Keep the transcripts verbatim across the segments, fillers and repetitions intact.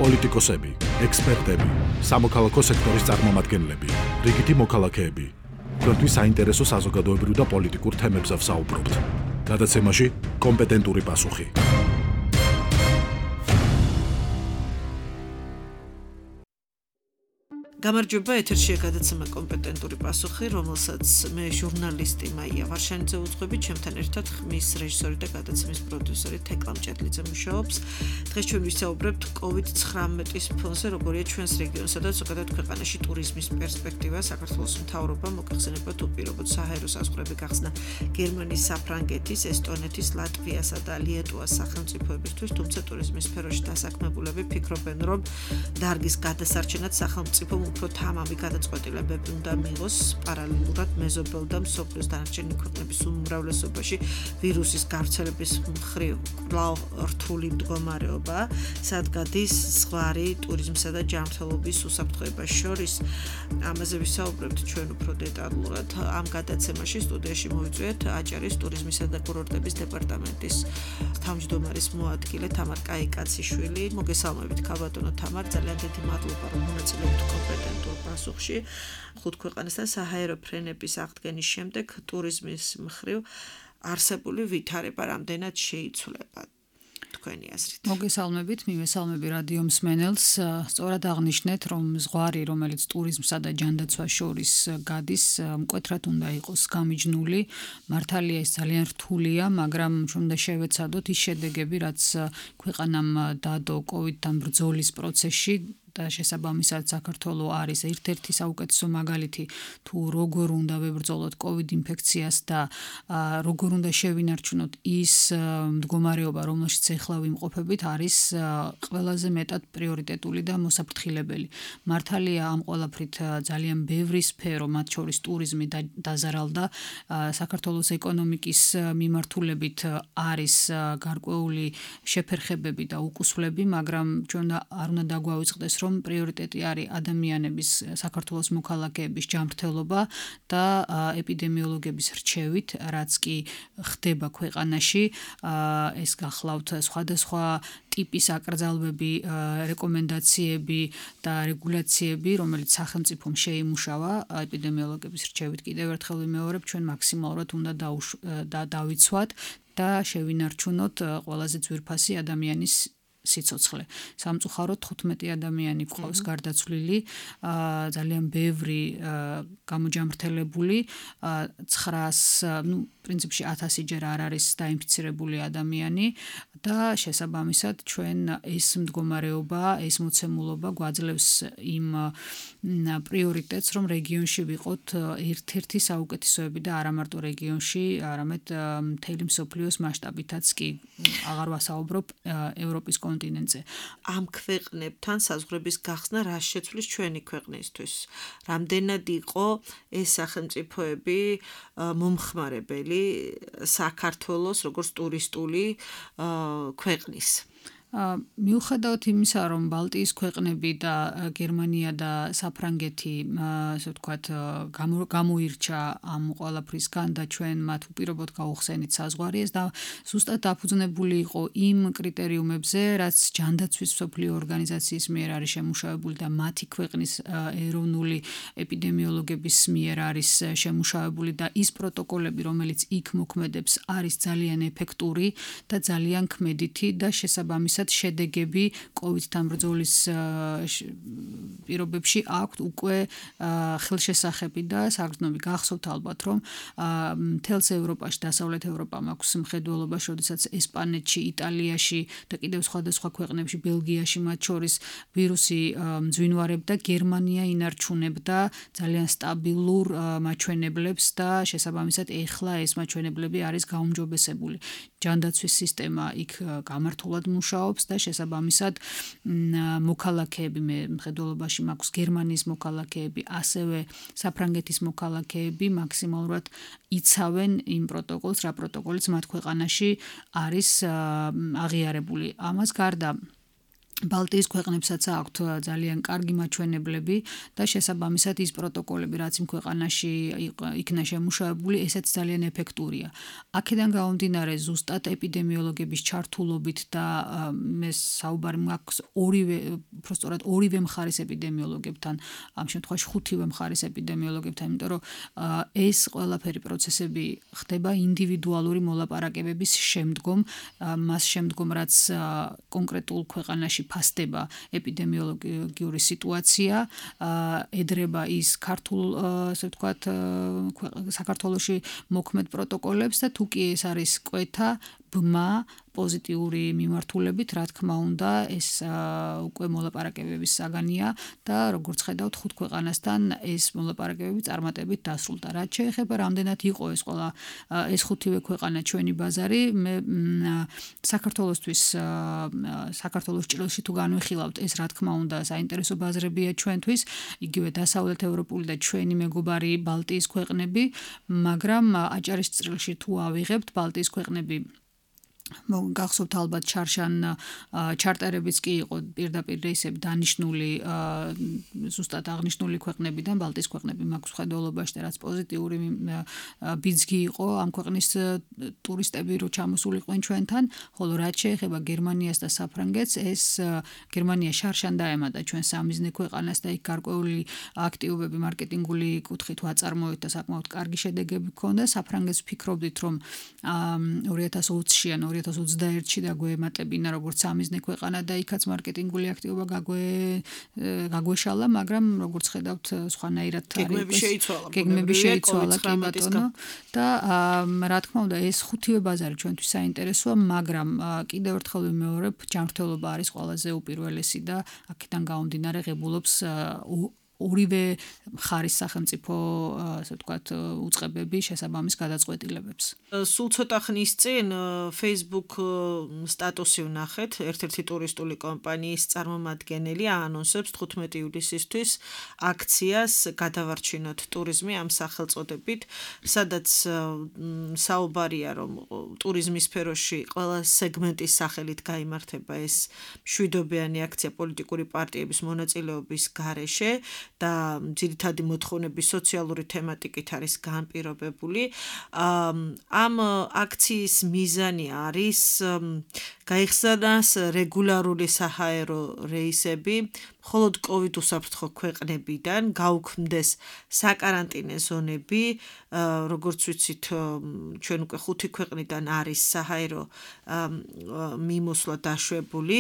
პოლიტიკოსები, ექსპერტები, სამოქალაქო სექტორის წარმომადგენლები, რიგითი მოქალაქეები. Თქვენთვის საინტერესო საზოგადოებრივ და პოლიტიკურ თემებზე ვსაუბრობთ. გადაცემაში კომპეტენტური პასუხი. გამარჯობა, ეთერშია გადაცემა კომპეტენტური პასუხი, რომელსაც მე ჟურნალისტი მაია ვარშანიძე უძღვები, ჩემთან ერთად ხმის რეჟისორი და გადაცემის პროდიუსერი თეკლა მჭედლიძე მუშაობს. დღეს ჩვენ ვისაუბრებთ კოვიდ ცხრამეტის ფონზე, როგორია ჩვენს რეგიონსა და ზოგადად ქვეყანაში ტურიზმის პერსპექტივა. საქართველოს მთავრობამ მოგეხსენება თუ პირობოთ საჰაერო საზღვრები გახსნა გერმანიის, საფრანგეთის, ესტონეთის, ლატვიასა და ლიეტუვას სახელმწიფოებისთვის, თუმცა ტურიზმის სფეროში დასაქმებულები ფიქრობენ, რომ დარგის გადასარჩენად სახელმწიფო უფრო თამამი გადაწყვეტილებები უნდა მიიღოს პარალელურად მეზობელ და მსოფლიოს დანარჩენი ქვეყნების უმრავლესობაში ვირუსის გავრცელების მხრივ კვლავ რთული მდგომარეობა, სადგადის ზღვარი ტურიზმსა და ჯანმრთელობის უსაფრთხოებას შორის. ამაზე ვისაუბრებთ ჩვენ უფრო დეტალურად. ამ გადაცემაში სტუდიაში მოვიწვიეთ აჭარის ტურიზმისა და კურორტების დეპარტამენტის თავმჯდომარის მოადგილე თამარ კაიკაციშვილი. მოგესალმებით ქალბატონო თამარ, ძალიან დიდი მადლობა რომ მონაწილეობთ კომპეტენტურ პასუხში. ხუთ ქვეყანასთან საჰაერო ფრენების აღდგენის შემდეგ ტურიზმის მხრივ არსებული ვითარება რამდენად შეიცვლება თქვენი აზრით? მოგესალმებით, მივესალმები რადიო მსმენელს. სწორად აღნიშნეთ, რომ ზღვარი, რომელიც ტურიზმსა და ჯანდაცვას შორის გადის, მკვეთრად უნდა იყოს გამიჯნული. მართალია ეს ძალიან რთულია, მაგრამ ჩვენ უნდა შევეცადოთ ის შედეგები, რაც ქვეყანამ დადო კოვიდთან ბრძოლის პროცესში. და შესაბამისად საქართველოს არის ერთ-ერთი საუკეთესო მაგალითი თუ როგორ უნდა ვებრძოლოთ კოვიდ ინფექციას და როგორ უნდა შევინარჩუნოთ ის მდგომარეობა, რომელშიც ეხლა ვიმყოფებით, არის ყველაზე მეტად პრიორიტეტული და მოსაფრთხილებელი. მართალია ამ ყველაფრით ძალიან ბევრი სფერო, მათ შორის ტურიზმი დაზარალდა. საქართველოს ეკონომიკის მიმართულებით არის გარკვეული შეფერხებები და უკუსვლები, მაგრამ ჩვენ არ უნდა დაგვავიწყდეს, რომ პრიორიტეტი არის ადამიანების, საქართველოს მოქალაქეების ჯანმრთელობა და ეპიდემიოლოგების რჩევით, რაც კი ხდება ქვეყანაში. ეს გახლავთ სხვადასხვა ტიპის აკრძალვები, რეკომენდაციები და რეგულაციები, რომელიც სახელმწიფომ შეიმუშავა ეპიდემიოლოგების რჩევით. კიდევ ერთხელ ვიმეორებ, ჩვენ მაქსიმალურად უნდა დავიცვათ და შევინარჩუნოთ ყველაზე ძვირფასი ადამიანის სიცოცხლე. სამწუხაროდ თხუთმეტი ადამიანი გვყავს გარდაცვლილი, ძალიან ბევრი გამოჯამრთელებული, ცხრაას, ну, პრინციპში ათასჯერ არ არის დაინფიცირებული ადამიანი და შესაბამისად ჩვენ ეს მდგომარეობა, ეს მოცემულობა გვაძლევს იმ პრიორიტეტს, რომ რეგიონში ვიყოთ ერთ-ერთი საუკეთესოები და არა მარტო რეგიონში, არამედ მთელი მსოფლიოს მასშტაბითაც კი აღარ ვასაუბრობ ევროპის კონტინენტზე. ამ ქვეყნებთან საზღვრების გახსნა რა შეცვლის ჩვენი ქვეყნისთვის? რამდენად იყო ეს სახელმწიფოები მომხმარებელი საქართველოს როგორც ტურისტული ქვეყნის? მიუხედავად იმისა, რომ ბალტიის ქვეყნები და გერმანია და საფრანგეთი, ასე ვთქვათ, გამოირჩა ამ ყველაფრისგან და ჩვენ მათ უპირობოდ გავუხსენით საზღვარი და ზუსტად დაფუძნებული იყო იმ კრიტერიუმებზე, რაც ჯანდაცვის მსოფლიო ორგანიზაციის მიერ არის შემუშავებული და მათი ქვეყნის ეროვნული ეპიდემიოლოგების მიერ არის შემუშავებული და ის პროტოკოლები, რომელიც იქ მოქმედებს, არის ძალიან ეფექტური და ძალიან ქმედითი და შესაბამისად შედეგები კოვიდთან ბრძოლის პირობებში აქვთ უკვე ხელშესახები და საგრძნობი. გახსოვთ ალბათ, რომ მთელს ევროპაში, დასავლეთ ევროპამ აქვს მხედველობა, როდესაც ესპანეთში, იტალიაში და კიდევ სხვადასხვა ქვეყნებში, ბელგიაში მათ შორის ვირუსი მძვინვარებდა, გერმანია ინარჩუნებდა ძალიან სტაბილურ მაჩვენებლებს და შესაბამისად ეხლა ეს მაჩვენებლები არის გაუმჯობესებული. ჯანდაცვის სისტემა იქ გამართულად მუშაობს და შესაბამისად მოქალაქეები, მე მხედველობაში მაქვს გერმანიის მოქალაქეები, ასევე საფრანგეთის მოქალაქეები მაქსიმალურად იცავენ იმ პროტოკოლს, რა პროტოკოლიც მათ ქვეყანაში არის აღიარებული. ამას გარდა ბალტიის ქვეყნებსაც აქვთ ძალიან კარგი მაჩვენებლები და შესაბამისად ის პროტოკოლები, რაც იმ ქვეყანაში იქნა შემუშავებული, ესეც ძალიან ეფექტურია. აქედან გამომდინარე, ზუსტად ეპიდემიოლოგების ჩართულობით და მე საუბარი მაქვს ორივე, უბრალოდ ორივე მხარის ეპიდემიოლოგებთან, ამ შემთხვევაში ხუთივე მხარის ეპიდემიოლოგებთან, იმიტომ რომ ეს ყველაფერი პროცესები ხდება ინდივიდუალური მოლაპარაკებების შემდგომ, მას შემდგომ, რაც კონკრეტულ ქვეყანაში ფასდება ეპიდემიოლოგიური სიტუაცია, ედრება ის ქართულ, ასე ვთქვათ, საქართველოში მოქმედ პროტოკოლებს და თუ კი ეს არის კვეთა, ბმა, პოზიტიური მიმართულებით, რა თქმა უნდა, ეს უკვე მოლაპარაკებების საგანია და როგორც ხედავთ, ხუთ ქვეყანასთან ეს მოლაპარაკებები წარმატებით დასრულდა. რაც შეეხება რამდენად იყო ეს ყველა ეს ხუთივე ქვეყანა ჩვენი ბაზარი, მე საქართველოსთვის საქართველოს ჭრილში თუ განვიხილავთ, ეს რა თქმა უნდა საინტერესო ბაზრებია ჩვენთვის, იგივე დასავლეთ ევროპული და ჩვენი მეგობარი ბალტიის ქვეყნები, მაგრამ აჭარის ჭრილში თუ ავიღებთ, ბალტიის ქვეყნები გახსოვთ ალბათ ჩარშან ჩარტერებიც კი იყო პირდაპირ რეისები დანიშნული ზუსტად აღნიშნული ქვეყნებიდან ბალტიის ქვეყნები მაქვს ხედველობაში და რაც პოზიტიური ბიძგი იყო ამ ქვეყნის ტურისტები რო ჩამოსულიყვნენ ჩვენთან, ხოლო რაც შეეხება გერმანიას და საფრანგეთს, ეს გერმანია შარშან დაემატა ჩვენ სამიზნე ქვეყანას და იქ გარკვეული აქტივობები მარკეტინგული კუთხით ვაწარმოეთ და საკმაოდ კარგი შედეგები ჰქონდა. საფრანგეთს ვფიქრობდით რომ ორი ათას ოცი-იან ორი ათას ოცდაერთში დაგვემატებინა როგორც სამიზნე ქვეყანა და იქაც მარკეტინგული აქტივობა გაგვე გაგვეშალა, მაგრამ როგორც ხედავთ სხვანაირად გეგმები შეიცვალა. გეგმები შეიცვალა კი ბატონო და რა თქმა უნდა ეს ხუთივე ბაზარი ჩვენთვის საინტერესოა, მაგრამ კიდევ ერთხელ ვიმეორებ, ჯანმრთელობა არის ყველაზე უპირველესი და აქედან გამომდინარე ღებულობს ორივე მხარის სახელმწიფო, ასე ვთქვათ, უწყებები შესაბამის გადაწყვეტილებებს. სულ ცოტა ხნის წინ Facebook სტატუსი ვნახეთ, ერთ-ერთი ტურისტული კომპანიის წარმომადგენელი აანონსებს თხუთმეტი ივლისისთვის აქციას გადავარჩინოთ ტურიზმი ამ სახელწოდებით, სადაც საუბარია რომ ტურიზმის სფეროში ყველა სეგმენტის სახელით გაიმართება ეს მშვიდობიანი აქცია პოლიტიკური პარტიების მონაწილეობის გარეშე და ძირითადი მოთხოვნების სოციალური თემატიკით არის განპირობებული. ამ აქციის მიზანი არის გაიხსნას რეგულარული საჰაერო რეისები მხოლოდ COVID უსაფრთხო ქვეყნებიდან, გაუქმდეს საკარანტინე ზონები, როგორც ვიცით, ჩვენ უკვე ხუთი ქვეყნიდან არის საჰაერო მიმოსვლა დაშვებული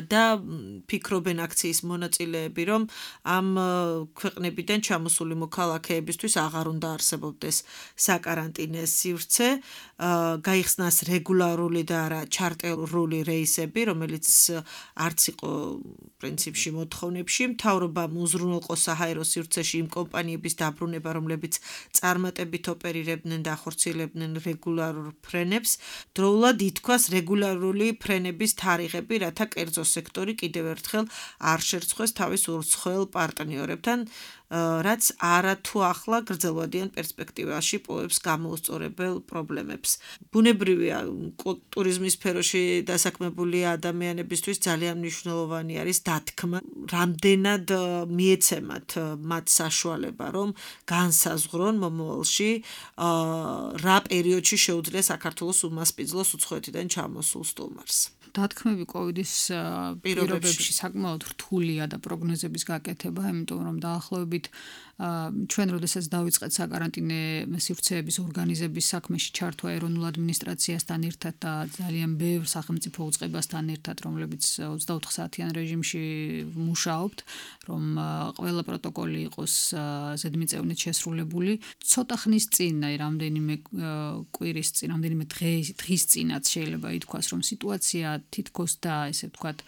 და ფიქრობენ აქციის მონაწილეები, რომ ამ ქვეყნებიდან ჩამოსული მოქალაქეებისთვის აღარ უნდა არსებობდეს საკარანტინე სივრცე, გაიხსნას რეგულარული და არა ჩარტერული რეისები, რომელიც არც იყო პრინციპში მოთხოვნებში, მთავრობამ უზრუნველყო საჰაერო სივრცეში იმ კომპანიების დაბრუნება, რომლებიც წარმატებით ოპერირებდნენ და ახორციელებდნენ რეგულარულ ფრენებს, დროულად ითქვას რეგულარული ფრენების თარიღები, რათა კერძო სექტორი კიდევ ერთხელ არ შერცხვეს თავის უცხოელ პარტნიორებთან, რაც არათუ ახლა გრძელვადიან პერსპექტივაში პოებს გამოუსწორებელ პრობლემებს. ბუნებრივია, ტურიზმის სფეროში დასაქმებული ადამიანებისთვის ძალიან მნიშვნელოვანი არის დათქმა, რამდენად მიეცემათ მათ საშუალება, რომ განსაზღვრონ მომავალში რა პერიოდში შეუძლია საქართველოს უმასპინძლოს უცხოეთიდან ჩამოსულ სტუმარს. დათქმები კოვიდის პირობებში საკმაოდ რთულია და პროგნოზების გაკეთება, იმიტომ რომ დაახლოებით ჩვენ როდესაც დავიწყეთ საკარანტინე სივრცეების ორგანიზების საქმეში ჩართვა ეროვნულ ადმინისტრაციასთან ერთად და ძალიან ბევრ სახელმწიფო უწყებასთან ერთად, რომლებიც ოცდაოთხ საათიან რეჟიმში მუშაობთ, რომ ყველა პროტოკოლი იყოს ზედმიწევნით შესრულებული. ცოტა ხნის წინ, აი რამდენიმე კვირის წინ, რამდენიმე დღის დღის წინაც შეიძლება ითქვას, რომ სიტუაცია თითქოს და ესე ვთქვათ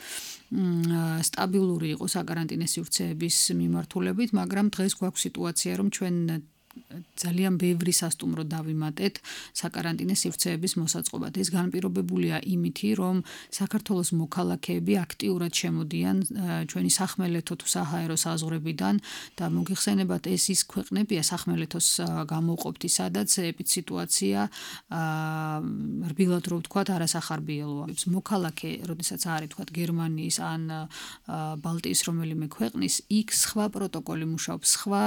სტაბილური იყო საკარანტინე სივრცეების მიმართულებით, მაგრამ დღეს გვაქვს სიტუაცია, რომ ჩვენ ძალიან ბევრი სასტუმრო დავიმატეთ საკარანტინე სივრცეების მოსაწყობად. ეს განპირობებულია იმითი, რომ საქართველოს მოქალაქეები აქტიურად შემოდიან ჩვენი სახმელეთო თუ საჰაერო საზღვრებიდან და მოგიხსენებათ, ეს ის ქვეყნებია სახმელეთოს გამოვყოფთი, სადაც ეპიდსიტუაცია რბილად რო ვთქვათ, არასახარბიელოა. მოქალაქე, როდესაც არის თქვათ გერმანიის ან ბალტიის რომელიმე ქვეყნის, იქ სხვა პროტოკოლი მუშაობს, სხვა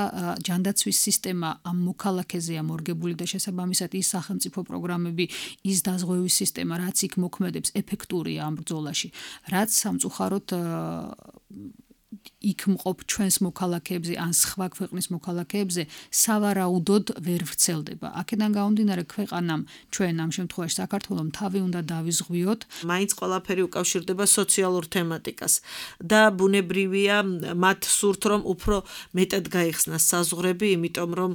ჯანდაცვის სისტემა ამ მოქალაქეზეა მორგებული და შესაბამისად ის სახელმწიფო პროგრამები, ის დაზღვევის სისტემა, რაც იქ მოქმედებს, ეფექტურია ამ ბრძოლაში. რაც სამწუხაროდ იქ მყოფ ჩვენს მოქალაქეებზე ან სხვა ქვეყნის მოქალაქეებზე სავარაუდოდ ვერ ვრცელდება. აქედან გამომდინარე, ქვეყანამ ჩვენ ამ შემთხვევაში საქართველოს თავი უნდა დავიზღვიოთ. მაინც ყველაფერი უკავშირდება სოციალურ თემატიკას და ბუნებრივია მათ სურთ, რომ უფრო მეტად გაიხსნას საზღვრები, იმიტომ რომ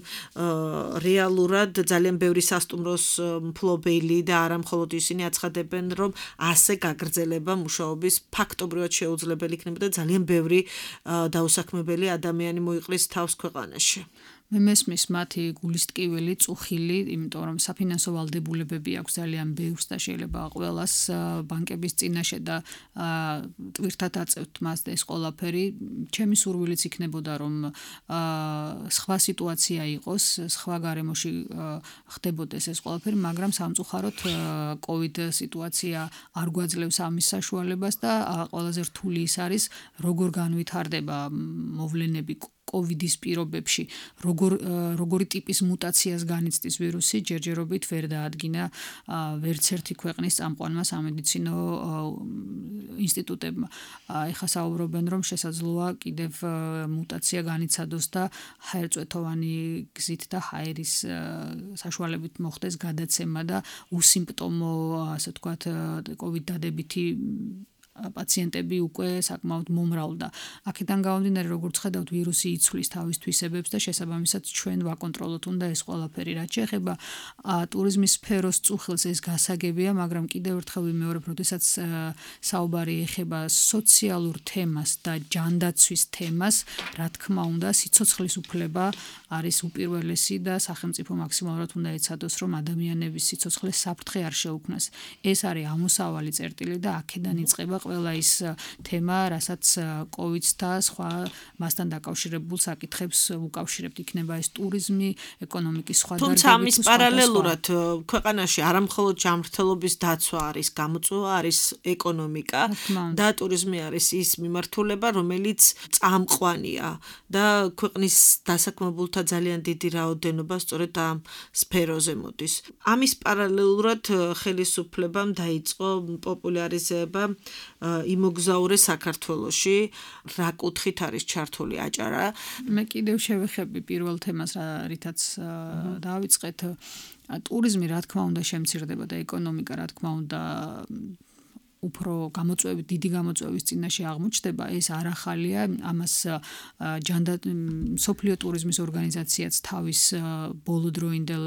რეალურად ძალიან ბევრი სასტუმროს მფლობელი და არა მხოლოდ ისინი აცხადებენ, რომ ასე გაგრძელება მუშაობის ფაქტობრივად შეუძლებელი იქნება და ძალიან ბევრი დაუსაქმებელი ადამიანი მოიყლის თავს ქვეყანაში. მე მესმის მათი გულისტკივილი, წუხილი, იმიტომ რომ საფინანსო ვალდებულებები აქვს ძალიან ბევრს და შეიძლება ყველას ბანკების წინაშე და ტვირთად აწევთ მას ეს ყველაფერი. ჩემი სურვილიც იქნებოდა, რომ სხვა სიტუაცია იყოს, სხვა გარემოში ხდებოდეს ეს ყველაფერი, მაგრამ სამწუხაროდ კოვიდ სიტუაცია არ გვაძლევს ამის საშუალებას და ყველაზე რთული ის არის, როგორ განვითარდება მოვლენები კოვიდის პირობებში, როგორ როგორი ტიპის მუტაციას განიცდის ვირუსი, ჯერჯერობით ვერ დაადგინა ვერც ერთი ქვეყნის წამყვანმა სამედიცინო ინსტიტუტებმა. ეხლა საუბრობენ, რომ შესაძლოა კიდევ მუტაცია განიცადოს და ჰაერწვეთოვანი გზით და ჰაერის საშუალებით მოხდეს გადაცემა და უსიმპტომო, ასე ვთქვათ, კოვიდ დადებითი პაციენტები უკვე საკმაოდ მომრავლდა. აქედან გამომდინარე, როგორც ხედავთ, ვირუსი იცვლის თავის თვისებებს და შესაბამისად ჩვენ ვაკონტროლოთ უნდა ეს ყველაფერი. რაც შეეხება ტურიზმის სფეროს წუხილს, ეს გასაგებია, მაგრამ კიდევ ერთხელ ვიმეორებ, როდესაც საუბარი ეხება სოციალურ თემას და ჯანდაცვის თემას, რა თქმა უნდა, სიცოცხლის უფლება არის უპირველესი და სახელმწიფო მაქსიმალურად უნდა ეცადოს, რომ ადამიანების სიცოცხლე საფრთხე არ შეუქმნას. ეს არის ამოსავალი წერტილი და აქედან იწყება ყველა ის თემა, რასაც კოვიდს და სხვა მასთან დაკავშირებულ საკითხებს უკავშირებთ, იქნება ეს ტურიზმი, ეკონომიკის სხვა დარგები. თუმცა ამის პარალელურად ქვეყანაში არა მხოლოდ ჯანმრთელობის დაცვა არის გამოწვევა, არის ეკონომიკა და ტურიზმი არის ის მიმართულება, რომელიც წამყვანია და ქვეყნის დასაქმებულთა ძალიან დიდი რაოდენობა სწორედ ამ სფეროზე მოდის. ამის პარალელურად ხელისუფლებამ დაიწყო პოპულარიზება იმოგზაურე საქართველოში, რა კუთხით არის ჩართული აჭარა. მე კიდევ შევეხები პირველ თემას, რითაც დავიწყეთ. ტურიზმი რა თქმა უნდა შემცირდება და ეკონომიკა რა თქმა უნდა უფრო გამოწვევით, დიდი გამოწვევის წინაშე აღმოჩნდება, ეს არ ახალია. ამას მსოფლიო ტურიზმის ორგანიზაციაც თავის ბოლოდროინდელ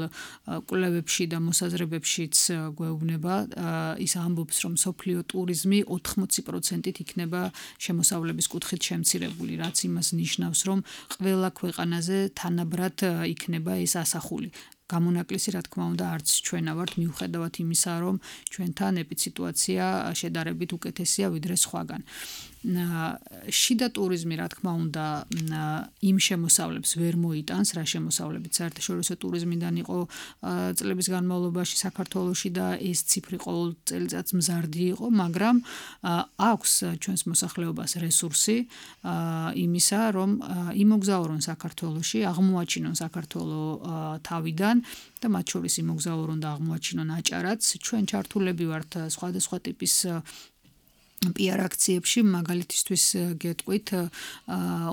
კვლევებში და მოსაზრებებშიც გვეუბნება. ის ამბობს, რომ მსოფლიო ტურიზმი ოთხმოცი პროცენტით იქნება შემოსავლების კუთხით შემცირებული, რაც იმას ნიშნავს, რომ ყველა ქვეყანაზე თანაბრად იქნება ეს ასახული. გამონაკლისი რა თქმა უნდა არც ჩვენა ვართ, მიუხედავად იმისა, რომ ჩვენთან ეპიდსიტუაცია შედარებით უკეთესია ვიდრე სხვაგან. შიდა ტურიზმი რა თქმა უნდა იმ შემოსავლებს ვერ მოიტანს, რა შემოსავლებით საერთაშორისო ტურიზმიდან იყო წლების განმავლობაში საქართველოში და ეს ციფრი ყოველ წელიწადს მზარდი იყო, მაგრამ აქვს ჩვენს მოსახლეობას რესურსი იმისა, რომ იმოგზაურონ საქართველოში, აღმოაჩინონ საქართველო თავიდან და მათ შორის იმოგზაურონ და აღმოაჩინონ აჭარაც. ჩვენ ჩართულები ვართ სხვადასხვა ტიპის პიარ აქციებში, მაგალითისთვის გეტყვით,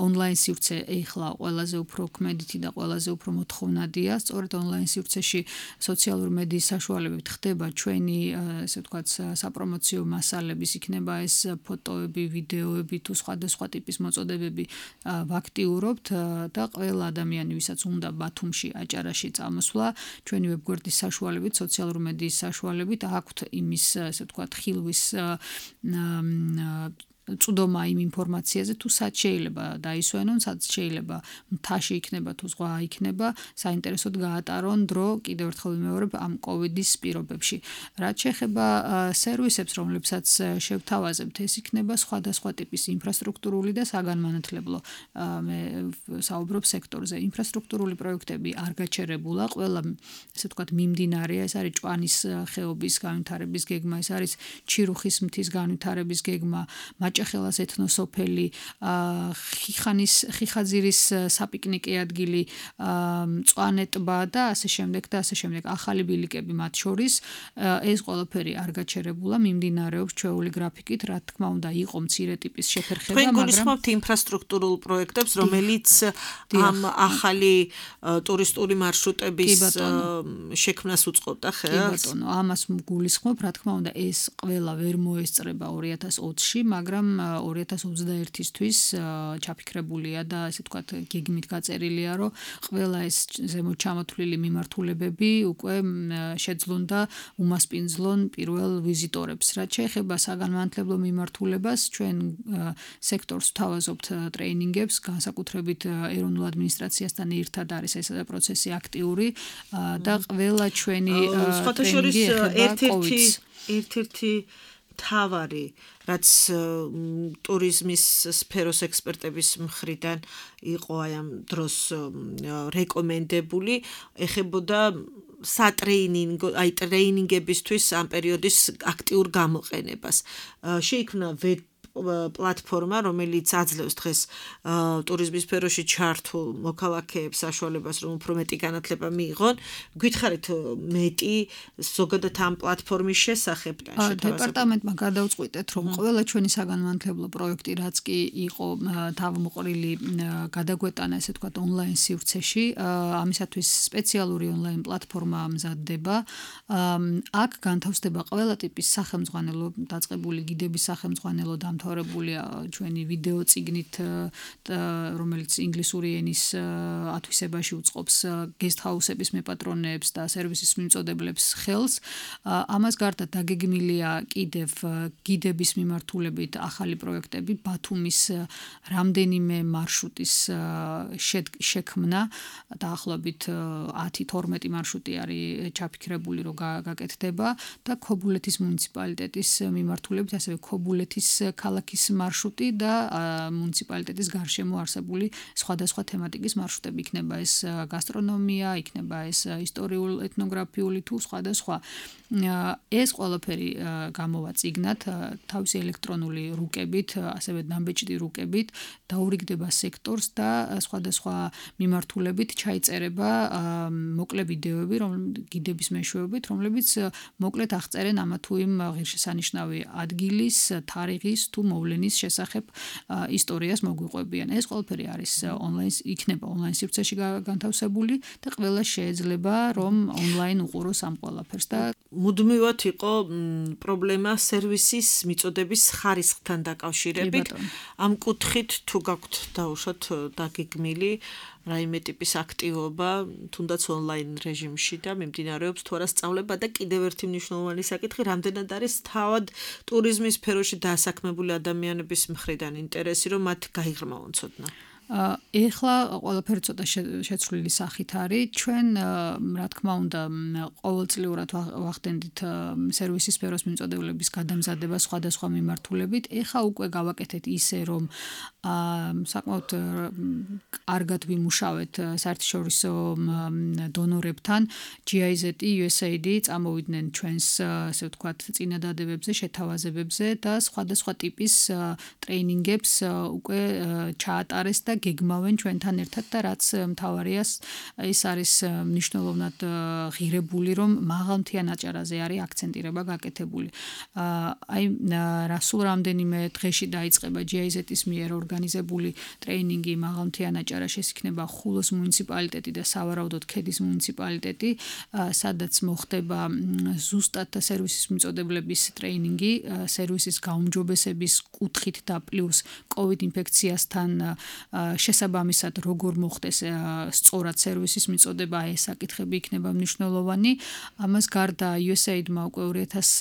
ონლაინ სივრცე ეხლა ყველაზე უფრო ქმედითი და ყველაზე უფრო მოთხოვნადია. სწორედ ონლაინ სივრცეში სოციალური მედიის საშუალებებით ხდება ჩვენი, ესე ვთქვათ, საპრომოციო მასალების, იქნება ეს ფოტოები, ვიდეოები თუ სხვადასხვა ტიპის მოწოდებები ვაქტიურობთ და ყველა ადამიანი, ვისაც უნდა ბათუმში, აჭარაში წამოსვლა, ჩვენი ვებგვერდის საშუალებით, სოციალური მედიის საშუალებით აქვთ იმის, ესე ვთქვათ, ხილვის წვდომა იმ ინფორმაციაზე თუ სად შეიძლება დაისვენონ, სად შეიძლება მთაში იქნება თუ ზღვა იქნება, საინტერესოდ გაატარონ დრო კიდევ ერთხელ ვიმეორებ ამ კოვიდის პირობებში. რაც შეეხება სერვისებს, რომლებსაც შევთავაზებთ, ეს იქნება სხვადასხვა ტიპის ინფრასტრუქტურული და საგანმანათლებლო მე საუბრობ სექტორზე. ინფრასტრუქტურული პროექტები არ გაჩერებულა, ყველა ესე ვთქვათ მიმდინარეა, ეს არის ჭვანის ხეობის განვითარების გეგმა, ეს არის ჩირუხის მთის განვითარების გეგმა, მაჭახელას ეთნოსოფელი, ხიხანის ხიხაძირის საპიკნიკე ადგილი, მწვანე ტბა და ასე შემდეგ და ასე შემდეგ, ახალი ბილიკები მათ შორის, ეს ყველაფერი არ გაჩერებულა, მიმდინარეობს ჩვეული გრაფიკით, რა თქმა უნდა, იყო მცირე ტიპის შეფერხება, მაგრამ თქვენ გულისხმობთ ინფრასტრუქტურულ პროექტებს, რომელიც ამ ახალი ტურისტული მარშრუტების შექმნას უწყობდა ხელს? კი ბატონო, ამას გულისხმობ, რა თქმა უნდა, ეს ყველა ვერ მოესწრება ორი ათას ოცში, მაგრამ ორი ათას ოცდაერთისთვის ჩაფიქრებულია და ესე ვთქვათ, გეგმით გაწერილია, რომ ყველა ეს ზემოთ ჩამოთვლილი მიმართულებები უკვე შეძლონ და უმასპინძლონ პირველ ვიზიტორებს. რაც შეეხება საგანმანათლებლო მიმართულებას, ჩვენ სექტორს ვთავაზობთ ტრეინინგებს, განსაკუთრებით ეროვნულ ადმინისტრაციასთან ერთად არის ეს პროცესი აქტიური და ყველა ჩვენი ტრეინინგი ეხება კოვიდს. ერთ-ერთი თავარი, რაც ტურიზმის სფეროს ექსპერტების მხრიდან იყო აი ამ დროს რეკომენდებული, ეხებოდა სატრეინინგო, აი ტრეინინგებისთვის ამ პერიოდის აქტიურ გამოყენებას. შეიქმნა პლატფორმა, რომელიც აძლევს დღეს ტურიზმის სფეროში ჩართულ მოქალაქეებს საშუალებას, რომ უფრო მეტი განათლება მიიღონ. გითხარით მეტი ზოგადად ამ პლატფორმის შესახებ? დეპარტამენტმა გადავწყვიტეთ, რომ ყველა ჩვენი საგანმანათლებლო პროექტი, რაც კი იყო თავმოყრილი, გადაგვეტანა, ესე ვთქვათ, ონლაინ სივრცეში. ამისათვის სპეციალური ონლაინ პლატფორმა მზადდება. აქ განთავსდება ყველა ტიპის სახელმძღვანელო დაწყებული გიდების სახელმძღვანელო დამთავრებული ჩვენი ვიდეო წიგნით, რომელიც ინგლისური ენის ათვისებაში უწყობს guest house-ების მეპატრონეებს და სერვისის მიმწოდებლებს ხელს. ამას გარდა დაგეგმილია კიდევ გიდების მიმართულებით ახალი პროექტები, ბათუმის რამდენიმე მარშრუტის შექმნა, დაახლოებით ათი თორმეტი მარშრუტი არის ჩაფიქრებული, რომ გაკეთდება და ქობულეთის მუნიციპალიტეტის მიმართულებით, ასევე ქობულეთის ქალაქის მარშრუტი და მუნიციპალიტეტის გარშემო არსებული სხვადასხვა თემატიკის მარშრუტები, იქნება ეს გასტრონომია, იქნება ეს ისტორიულ ეთნოგრაფიული თუ სხვადასხვა. ეს ყველაფერი გამოვა წიგნად, თავისი ელექტრონული რუკებით, ასევე დამბეჭდი რუკებით, დაურიგდება სექტორს და სხვადასხვა მიმართულებით ჩაიწერება მოკლე ვიდეოები, გიდების მეშვეობით, რომლებიც მოკლედ აღწერენ ამა თუ იმ ღირსშესანიშნავი ადგილის, თარიღის თუ მოვლენის შესახებ ისტორიას მოგვიყვებიან. ეს ყველაფერი არის ონლაინ, იქნება ონლაინ სივრცეში განთავსებული და ყველა შეიძლება რომ ონლაინ უყუროს ამ ყველაფერს და მუდმივად იყო პრობლემა სერვისის მიწოდების ხარისხთან დაკავშირებით. ამ კუთხით თუ გაქვთ დაუშვათ დაგეგმილი რაიმე ტიპის აქტივობა, თუნდაც ონლაინ რეჟიმში და მიმდინარეობს თუ არა სწავლება და კიდევ ერთი მნიშვნელოვანი საკითხი, რამდენად არის თავად ტურიზმის სფეროში დასაქმებული ადამიანების მხრიდან ინტერესი, რომ მათ გაიღრმავონ ცოდნა? ეხლა ყველაფერი ცოტა შეცვლილი სახით არის. ჩვენ რა თქმა უნდა ყოველწლიურად ვახდენდით სერვისის სფეროს მიმწოდებლების გადამზადება სხვადასხვა მიმართულებით. ეხლა უკვე გავაკეთეთ ისე, რომ საკმაოდ კარგად ვიმუშავეთ საერთაშორისო დონორებთან. ჯი აი ზეტი, იუ ეს ეი დი წამოვიდნენ ჩვენს, ასე ვთქვათ, წინადადებებზე, შეთავაზებებზე და სხვადასხვა ტიპის ტრეინინგებს უკვე ჩაატარეს და გეგმავენ ჩვენთან ერთად და რაც მთავარია, ეს არის მნიშვნელოვნად ღირებული, რომ მაღალმთიან აჭარაზე არის აქცენტირება გაკეთებული. აი სულ რამდენიმე დღეში დაიწყება ჯი აი ზეტის მიერ ორგანიზებული ტრეინინგი მაღალმთიან აჭარაში, ეს იქნება ხულოს მუნიციპალიტეტი და სავარაუდოდ ქედის მუნიციპალიტეტი, სადაც მოხდება ზუსტად სერვისის მიწოდებლების ტრეინინგი, სერვისის გაუმჯობესების კუთხით და პლუს კოვიდ ინფექციასთან შესაბამისად როგორ მოხდეს სწორად სერვისის მიწოდება, ეს საკითხები იქნება მნიშვნელოვანი. ამას გარდა იუ ეს ეი დი-მა უკვე ორი ათას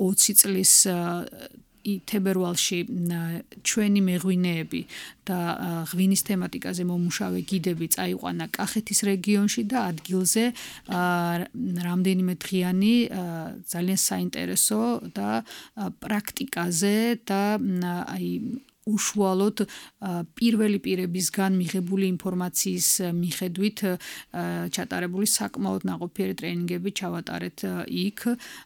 ოცი წლის თებერვალში ჩვენი მეღვინეები და ღვინის თემატიკაზე მომუშავე გიდები წაიყვანა კახეთის რეგიონში და ადგილზე რამდენიმე დღიანი ძალიან საინტერესო და პრაქტიკაზე და აი უშუალოდ პირველი პირებისგან მიღებული ინფორმაციის მიხედვით ჩატარებული საკმაოდ ნაყოფიერი ტრენინგები ჩავატარეთ იქ.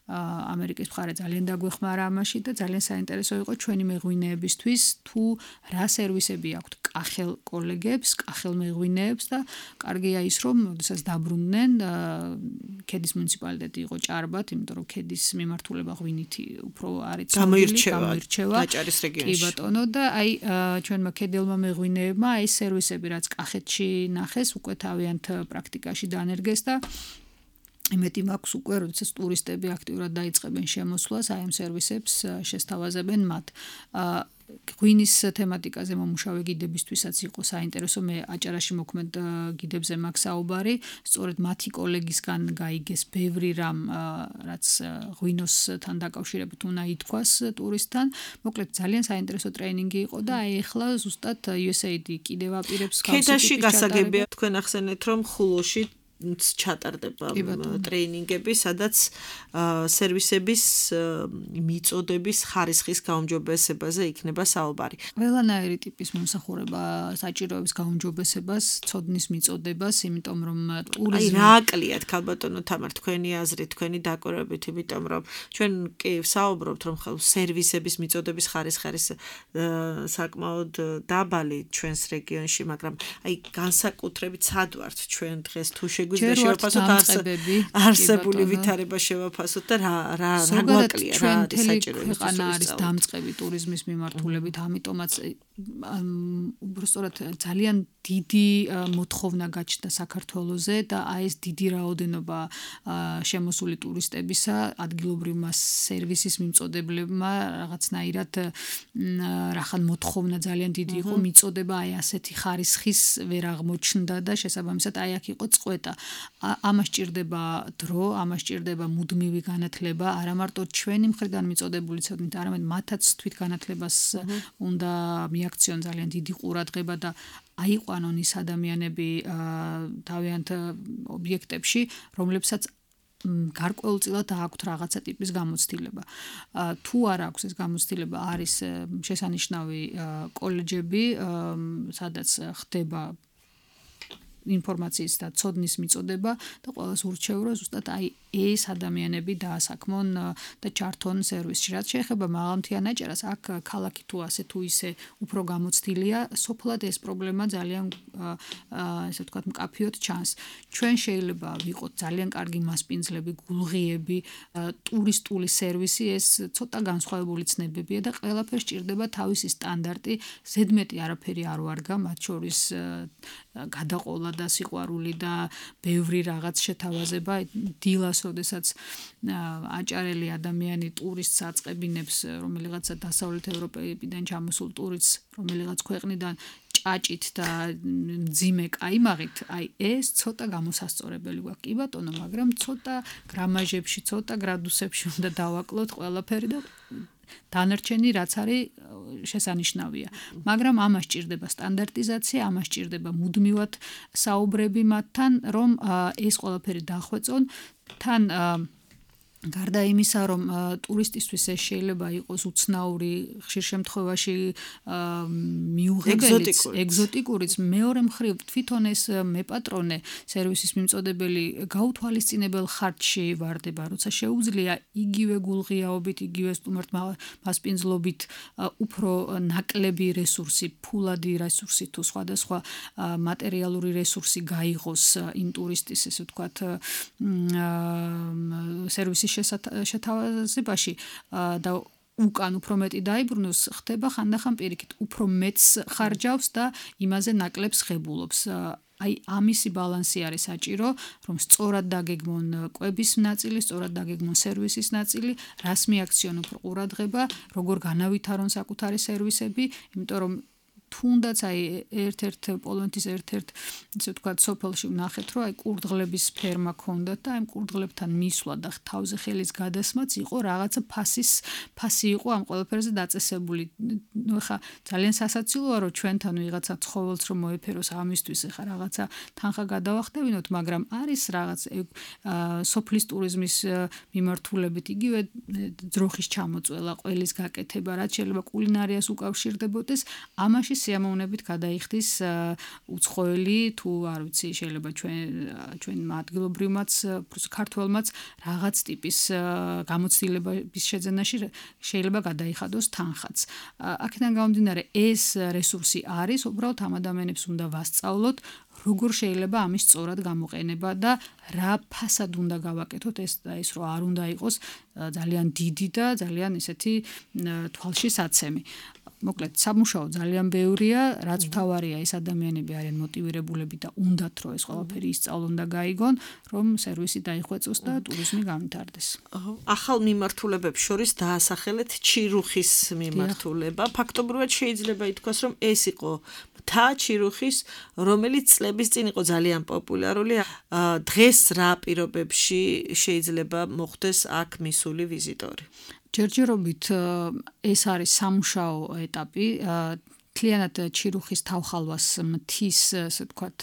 ამერიკის მხარე ძალიან დაგვეხმარა ამაში და ძალიან საინტერესო იყო ჩვენი მეღვინეებისთვის თუ რა სერვისები აქვთ კახელ კოლეგებს, კახელ მეღვინეებს და კარგია ის რომ შესაძ დაბრუნდნენ ქედის მუნიციპალიტეტი იყო ჭარბად, იმიტომ რომ ქედის მიმართულება ღვინითი უფრო არის გამოირჩევა დაჭარის რეგიონში. კი ბატონო და აი ჩვენმა ქედელმა მეღვინეებმა აი სერვისები რაც კახეთში ნახეს უკვე თავიანთ პრაქტიკაში დანერგეს და იმეთი მაქვს უკვე როდესაც ტურისტები აქტიურად დაიწყებენ შემოსვლას აი ამ სერვისებს შესთავაზებენ მათ ღვინის თემატიკაზე მომუშავე გიდებისთვისაც იყო საინტერესო მე აჭარაში მოქმედ გიდებზე მაქვს საუბარი სწორედ მათი კოლეგისგან გაიგეს ბევრი რამ რაც ღვინოსთან დაკავშირებით უნდა ითქვას ტურისტთან მოკლედ ძალიან საინტერესო ტრენინგი იყო და აი ახლა ზუსტად იუ ეს ეი დი კიდევ აპირებს ქედაში გასაგებია თქვენ ახსენეთ რომ ხულოში ჩატარდება ტრეინინგები, სადაც სერვისების მიწოდების ხარისხის გაუმჯობესებაზე იქნება საუბარი. ყველანაირი ტიპის მომსახურება საჭიროებს გაუმჯობესებას, ცოდნის მიწოდებას, იმიტომ რომ ტურიზმი აი რა აკლიათ ქალბატონო თამარ თქვენი აზრით, თქვენი დაკვირვებით, იმიტომ რომ ჩვენ კი საუბრობთ რომ ხელ სერვისების მიწოდების ხარისხი არის საკმაოდ დაბალი ჩვენს რეგიონში, მაგრამ აი განსაკუთრებით სად ვართ ჩვენ დღეს თუ გვიზდა შევაფასოთ არსებული ვითარება შევაფასოთ და რა რა რა გვაკლია რა არის საჭირო ქვეყანა არის დამწყები ტურიზმის მიმართულებით ამიტომაც უბრალოდ ძალიან დიდი მოთხოვნა გაჩნდა საქართველოზე და აი ეს დიდი რაოდენობა შემოსული ტურისტებისა ადგილობრივმა სერვისის მიმწოდებლებმა რაღაცნაირად რახან მოთხოვნა ძალიან დიდი იყო მიწოდება აი ასეთი ხარისხის ვერ აღმოჩნდა და შესაბამისად აი აქ იყო წყვეტა ამას ჭირდება დრო, ამას ჭირდება მუდმივი განათლება, არა მარტო ჩვენი მხრიდან მიწოდებული ცოდნით, არამედ მათაც თვითგანათლებას უნდა მიაქციონ ძალიან დიდი ყურადღება და აიყვანონ ის ადამიანები თავიანთ ობიექტებში, რომლებსაც გარკვეულწილად აქვთ რაღაცა ტიპის გამოცდილება. თუ არ აქვს ეს გამოცდილება, არის შესანიშნავი კოლეჯები, სადაც ხდება ინფორმაციის და ცოდნის მიწოდება და ყველას ურჩევ რომ ზუსტად აი ეს ადამიანები დაასაქმონ და ჩართონ სერვისში. რაც შეეხება მაღალმთიან აჭარას, აქ ქალაქი თუ ასე თუ ისე უფრო გამოცდილია, სოფლად ეს პრობლემა ძალიან ესე ვთქვათ მკაფიოდ ჩანს. ჩვენ შეიძლება ვიყოთ ძალიან კარგი მასპინძლები, გულღიები, ტურისტული სერვისი, ეს ცოტა განსხვავებული ცნებებია და ყველაფერს ჭირდება თავისი სტანდარტი, ზედმეტი არაფერი არ ვარგა, მათ შორის გადაყოლა და სიყვარული და ბევრი რაღაც შეთავაზება დილას როდესაც აჭარელი ადამიანი ტურისტს აწყებინებს რომელიღაცა დასავლეთ ევროპიდან ჩამოსულ ტურისტს რომელიღაც ქვეყნიდან ჭაჭით და მძიმე კაიმაღით აი ეს ცოტა გამოსასწორებელი გვაქვს კი ბატონო მაგრამ ცოტა გრამაჟებში ცოტა გრადუსებში უნდა დავაკლოთ ყველაფერი და დანარჩენი რაც არის შესანიშნავია მაგრამ ამას ჭირდება სტანდარტიზაცია ამას ჭირდება მუდმივად საუბრები მათთან რომ ეს ყველაფერი დახვეწონ თან გარდა იმისა რომ ტურისტისთვის ეს შეიძლება იყოს უცნაური ხშირ შემთხვევაში მიუღებელიც ეგზოტიკურიც მეორე მხრივ თვითონ ეს მეპატრონე სერვისის მიმწოდებელი გაუთვალისწინებელ ხარჯში ვარდება როცა შეუძლია იგივე გულღიაობით იგივე სტუმართ მასპინძლობით უფრო ნაკლები რესურსი ფულადი რესურსი თუ სხვადასხვა მატერიალური რესურსი გაიღოს იმ ტურისტის ესე ვთქვათ სერვისის შეთავაზებაში და უკან უფრო მეტი დაიბრუნოს ხდება ხანდახან პირიქით უფრო მეც ხარჯავს და იმაზე ნაკლებს ღებულობს აი ამისი ბალანსი არის საჭირო რომ სწორად დაგეგმონ კვების ნაწილი სწორად დაგეგმონ სერვისის ნაწილი რას მიაქციონ უფრო ყურადღება როგორ განავითარონ საკუთარი სერვისები იმიტომ რომ თუნდაც აი ერთ-ერთ პოლონეთის ერთ-ერთ ისე ვთქვათ სოფელში ვნახეთ რომ აი კურდღლების ფერმა ქონდათ და აი კურდღლებთან მისვლა და თავზე ხელის გადასმაც იყო რაღაცა ფასის ფასი იყო ამ ყველაფერზე დაწესებული. ნუ ხა ძალიან სასაცილოა რომ ჩვენთან ვიღაცა ცხოველს რომ მოეფეროს ამისთვის ხა რაღაცა თანხა გადავახტევინოთ, მაგრამ არის რაღაც სოფლის ტურიზმის მიმართულებით იგივე ძროხის ჩამოწველა, ყველის გაკეთება, რაც შეიძლება კულინარიას უკავშირდებოდეს, ამაში სიამოვნებით გადაიხდის უცხოელი თუ არ ვიცი, შეიძლება ჩვენ ჩვენ ადგილობრივმაც, ქართველმაც რაღაც ტიპის გამოცდილების შეძენაში შეიძლება გადაიხადოს თანხაც. აქედან გამომდინარე ეს რესურსი არის, უბრალოდ ამ ადამიანებს უნდა ვასწავლოთ როგორ შეიძლება ამის სწორად გამოყენება და რა ფასად უნდა გავაკეთოთ ეს და ის რომ არ უნდა იყოს ძალიან დიდი და ძალიან ესეთი თვალში საცემი. მოკლედ სამუშაო ძალიან ბევრია, რაც მთავარია ეს ადამიანები არიან მოტივირებულები და უნდათ რომ ეს ყველაფერი ისწავლონ და გაიგონ, რომ სერვისი დაიხვეწოს და ტურიზმი განვითარდეს. ახალ მიმართულებებს შორის დაასახელეთ ჩირუხის მიმართულება. ფაქტობრივად შეიძლება ითქვას, რომ ეს იყო მთა ჩირუხის, რომელიც წლების წინ იყო ძალიან პოპულარული. დღეს რა პირობებში შეიძლება მოხდეს აქ მისული ვიზიტორი? ჯერჯერობით ეს არის სამუშაო ეტაპი. მთლიანად ჩირუხის თავხალვას მთის, ასე ვთქვათ,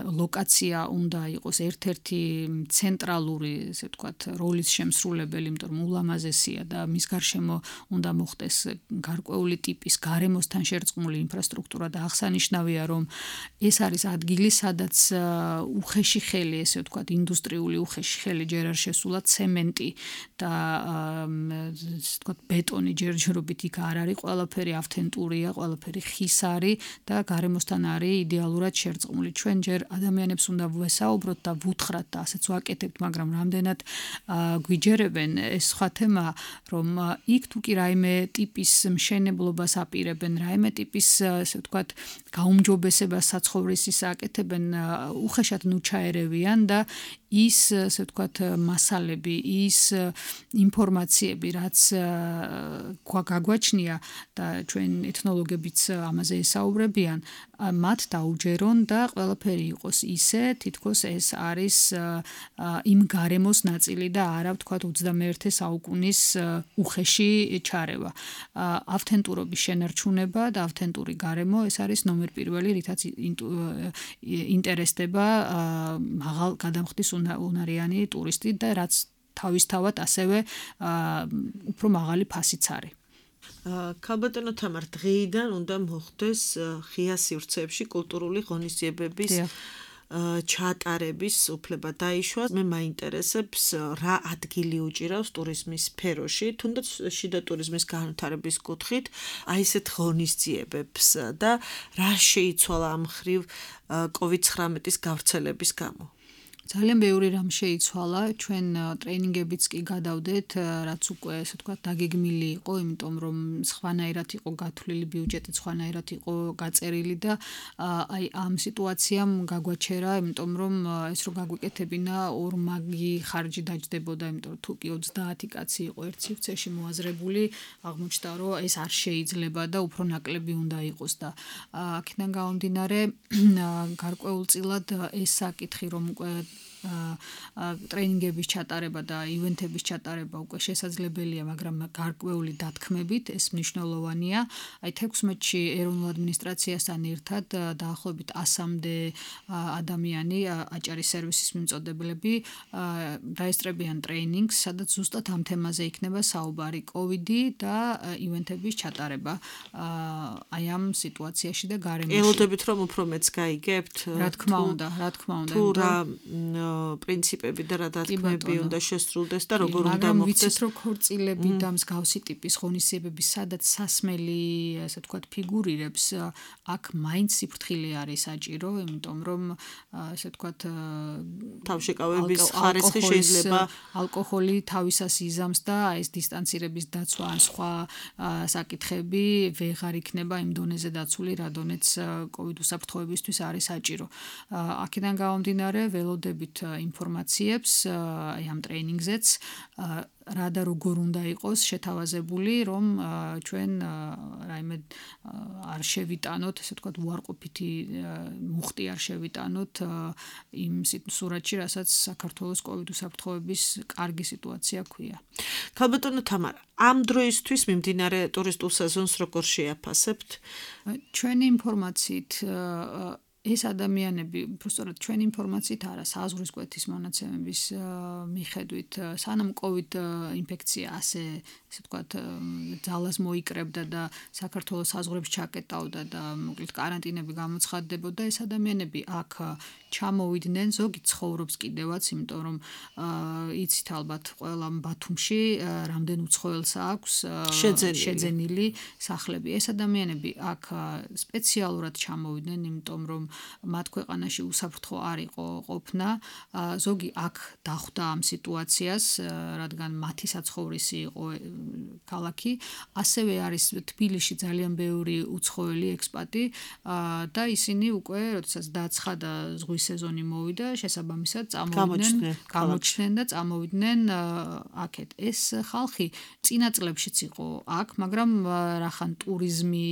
ლოკაცია უნდა იყოს ერთ-ერთი ცენტრალური, ასე ვთქვათ, როლის შემსრულებელი, იმიტომ რომ ულამაზესია და მის გარშემო უნდა მოხდეს გარკვეული ტიპის გარემოსთან შერწყმული ინფრასტრუქტურა და აღსანიშნავია, რომ ეს არის ადგილი, სადაც უხეში ხელი, ესე ვთქვათ, ინდუსტრიული უხეში ხელი ჯერ არ შესულა, ცემენტი და ასე ვთქვათ, ბეტონი ჯერჯერობით იქ არ არის, ყველაფერი ავთენტურია, ყველაფერი ხის არის და გარემოსთან არის იდეალურად შერწყმული. ჩვენ ჯერ ადამიანებს უნდა ვესაუბროთ და ვუთხრათ და ასეც ვაკეთებთ, მაგრამ რამდენად გვიჯერებენ ეს სხვა თემა, რომ იქ თუ კი რაიმე ტიპის მშენებლობას აპირებენ, რაიმე ტიპის, ასე ვთქვათ, გაუმჯობესებას საცხოვრისის აკეთებენ, უხეშად ნუ ჩაერევიან და ის, ასე ვთქვათ, მასალები, ის ინფორმაციები, რაც გაგვაჩნია და ჩვენ ეთნოლოგებიც ამაზე ესაუბრებიან, მათ დაუჯერონ და ყველაფერი იყოს ისე, თითქოს ეს არის იმ გარემოს ნაწილი და არა, ვთქვათ, ოცდამეერთე საუკუნის უხეში ჩარევა. ავთენტურობის შენარჩუნება და ავთენტური გარემო, ეს არის ნომერ პირველი, რითაც ინტერესდება მაღალ გადამხდის უნარიანი ტურისტი და რაც თავისთავად ასევე უფრო მაღალი ფასიც არის. ქალბატონო თამარ, დღეიდან უნდა მოხდეს ღია სივრცეებში კულტურული ღონისძიებების ჩაატარების უფლება დაიშვა. მე მაინტერესებს რა ადგილი უჭირავს ტურიზმის სფეროში, თუნდაც შიდა ტურიზმის განვითარების კუთხით, აი ესეთ ღონისძიებებს და რა შეიცვალა ამ მხრივ კოვიდ ცხრამეტის გავრცელების გამო. ძალიან ბევრი რამ შეიცვალა, ჩვენ ტრეინინგებიც კი გადავდეთ, რაც უკვე, ასე ვთქვათ, დაგეგმილი იყო, იმიტომ რომ სხვანაირად იყო გათვლილი ბიუჯეტი, სხვანაირად იყო გაწერილი და აი ამ სიტუაციამ გაგვაჩერა, იმიტომ რომ ეს რო გაგვეკეთებინა ორმაგი ხარჯი დაჯდებოდა, იმიტომ რომ თუ კი ოცდაათი კაცი იყო ერთ სივრცეში მოაზრებული, აღმოჩნდა რომ ეს არ შეიძლება და უფრო ნაკლები უნდა იყოს და აქედან გამომდინარე გარკვეულწილად ეს საკითხი რომ უკვე ტრეინინგების ჩატარება და ივენთების ჩატარება უკვე შესაძლებელია, მაგრამ გარკვეული დათქმებით ეს მნიშვნელოვანია. აი თექვსმეტში ეროვნულ ადმინისტრაციასთან ერთად დაახლოებით ასამდე ადამიანი აჭარის სერვისის მიმწოდებლები დაესწრებიან ტრეინინგს, სადაც ზუსტად ამ თემაზე იქნება საუბარი, კოვიდი და ივენთების ჩატარება აი ამ სიტუაციაში და გარემოში. ელოდებით რომ უფრო მეც გაიგებთ? რა თქმა უნდა, რა თქმა უნდა. თუ რა პრინციპები და რა დათქმები უნდა შესრულდეს და როგორ უნდა მოხდეს. ვიცით რომ ქორწილები და მსგავსი ტიპის ღონისძიებები, სადაც სასმელი, ასე ვთქვათ, ფიგურირებს, აქ მაინც სიფრთხილე არის საჭირო, იმიტომ რომ ასე ვთქვათ, თავშეკავების ხარისხი შეიძლება ალკოჰოლი თავისას იზამს და ეს დისტანცირების დაცვა ან სხვა საკითხები ვეღარ იქნება იმ დონეზე დაცული, რა დონეც კოვიდ უსაფრთხოებისთვის არის საჭირო. აქედან გამომდინარე ველოდებით ინფორმაციებს აი ამ ტრეინინგზეც რა და როგორ უნდა იყოს შეთავაზებული, რომ ჩვენ რაიმე არ შევიტანოთ, ესე ვთქვათ, უარყოფითი მუხტი არ შევიტანოთ იმ სურათში, რასაც საქართველოს კოვიდ უსაფრთხოების კარგი სიტუაცია ქვია. ქალბატონო თამარა, ამ დროისთვის მიმდინარე ტურისტულ სეზონს როგორ შეაფასებთ? ჩვენი ინფორმაციით ეს ადამიანები, უბრალოდ ჩვენი ინფორმაციით არა, საზღვრის კვეთის მონაცემების მიხედვით, სანამ კოვიდ ინფექცია ასე, ესე ვთქვათ, ძალას მოიკრებდა და საქართველოს საზღვრებს ჩაკეტავდა და მოკლედ კარანტინები გამოცხადდებოდა, ეს ადამიანები აქ ჩამოვიდნენ, ზოგი ცხოვრობს კიდევაც, იმიტომ რომ იცით ალბათ ყველა ბათუმში რამდენ უცხოელს აქვს შეძენილი სახლები. ეს ადამიანები აქ სპეციალურად ჩამოვიდნენ, იმიტომ რომ მათ ქვეყანაში უსაფრთხო არ იყო ყოფნა. ზოგი აქ დახვდა ამ სიტუაციას, რადგან მათი საცხოვრისი იყო ქალაქი. ასევე არის თბილისში ძალიან ბევრი უცხოელი ექსპატი და ისინი უკვე, როდესაც დაცხადა ზღვის სეზონი მოვიდა, შესაბამისად წამოვიდნენ, გამოჩნდნენ და წამოვიდნენ აქეთ. ეს ხალხი წინა წლებშიც იყო აქ, მაგრამ რახან ტურიზმი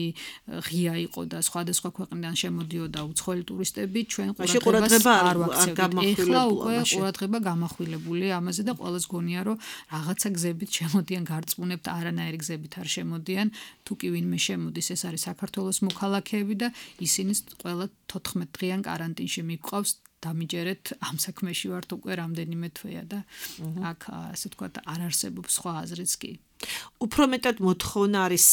ღია იყო და სხვადასხვა ქვეყნიდან შემოდიოდა უცხოელი ტურისტები, ჩვენ ყურადღებას არ ვაქცევდით. ეხლა უკვე ყურადღება გამახვილებული ამაზე და ყველას გონია, რომ რაღაცა გზებით შემოდიან, გარწმუნებთ, არანაირი გზებით არ შემოდიან. თუ კი ვინმე შემოდის, ეს არის საქართველოს მოქალაქეები და ისინი ყველა თოთხმეტ დღიან კარანტინში მიყვავს. დამიჯერეთ ამ საქმეში ვართ უკვე რამდენიმე თვეა და აქ ასე ვთქვათ არ არსებობს სხვა აზრიც კი. უფრო მეტად მოთხოვნა არის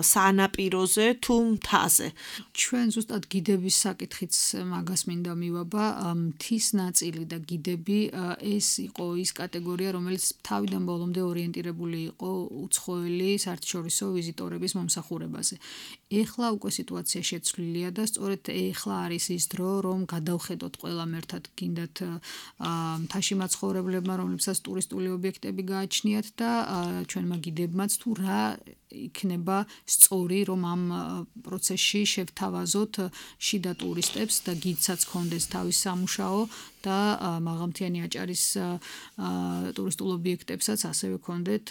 სანაპიროზე თუ მთაზე? ჩვენ ზუსტად გიდების საკითხიც მაგას მინდა მივაბა. მთის ნაწილი და გიდები ეს იყო ის კატეგორია, რომელიც თავიდან ბოლომდე ორიენტირებული იყო უცხოელი საერთაშორისო ვიზიტორების მომსახურებაზე. ეხლა უკვე სიტუაცია შეცვლილია და სწორედ ეხლა არის ის დრო, რომ გადავხედოთ ყველამ ერთად გინდათ მთაში მაცხოვრებლებმა, რომლებსაც ტურისტული ობიექტები გააჩნიათ და ჩვენმა გიდებმაც თუ რა იქნება სწორი, რომ ამ პროცესში შევთავაზოთ შიდა ტურისტებს და გიდსაც კონდეს თავის სამუშაო და მაღალმთიანი აჭარის ტურისტულ ობიექტებსაც ასევე კონდეთ